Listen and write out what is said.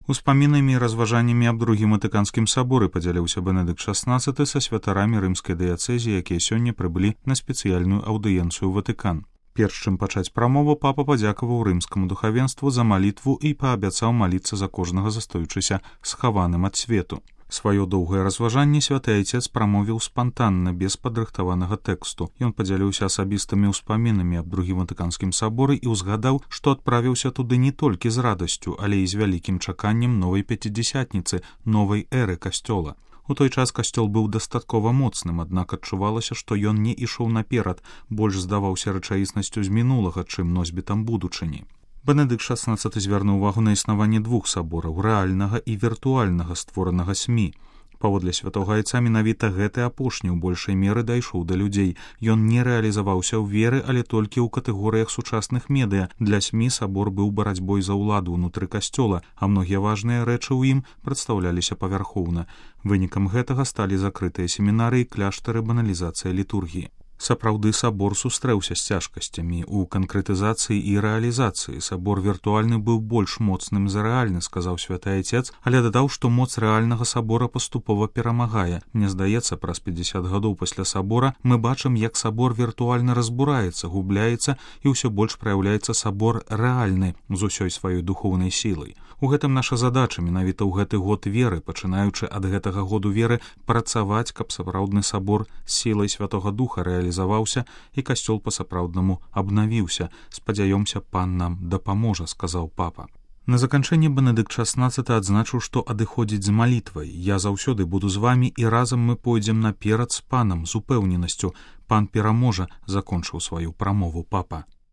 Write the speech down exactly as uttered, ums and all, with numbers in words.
Успамінамі і разважаннямі аб другім ватыканскім саборы падзяліўся Бенедыкт шаснаццаты са святарамі рымскай дыяцэзіі, якія сёння прыбылі на спецыяльную аўдыенцыю ў Ватыкан. Перш чым пачаць прамову, папа падзякаваў рымскаму духавенству за малітву і паабяцаў маліцца за кожнага застаючыся схаваным ад свету. Сваё доўгае разважанне святы айцец прамовіў спантанна, без падрыхтаванага тэксту. Ён падзяліўся асабістымі ўспамінамі аб другім ватыканскім саборы і ўзгадаў, што адправіўся туды не толькі з радасцю, але і з вялікім чаканнем новай пяцідзясятніцы, новай эры касцёла. У той час касцёл быў дастаткова моцным, аднак адчувалася, што ён не ішоў наперад, больш здаваўся рэчаіснасцю з мінулага, чым носьбітам будучыні. Бенедыкт шаснаццаты звярнуў увагу на існаванне двух сабораў, рэальнага і віртуальнага, створанага СМІ. Паводле святога айца менавіта гэты апошні ў большай меры дайшоў да людзей. Ён не рэалізаваўся ў веры, але толькі ў катэгорыях сучасных медыа. Для СМІ сабор быў барацьбой за ўладу ўнутры касцёла, а многія важныя рэчы ў ім прадстаўляліся павярхоўна. Вынікам гэтага сталі закрытыя семінары і кляштары, баналізацыя літургіі. Сапраўды сабор сустрэўся з цяжкасцямі ў канкрэтызацыі і рэалізацыі. Сабор віртуальны быў больш моцным за рэальны, сказаў святы айцец, але дадаў, што моц рэальнага сабора паступова перамагае. Мне здаецца, праз пятьдесят гадоў пасля сабора мы бачым, як сабор віртуальна разбураецца, губляецца і ўсё больш праяўляецца сабор рэальны з усёй сваёй духоўнай сілай. У гэтым наша задача менавіта ў гэты год веры, пачынаючы ад гэтага году веры, працаваць, каб сапраўдны сабор з сілай святога духа рэалізаваўся і касцёл па-сапраўднаму абнавіўся. Спадзяёмся, пан нам дапаможа, сказаў папа. На заканчэнне Бенедыкт шаснаццаты адзначыў, што адыходзіць з малітвай. Я заўсёды буду з вамі, і разам мы пойдзем наперад з панам з упэўненасцю. Пан пераможа, закончыў сваю прамову папа.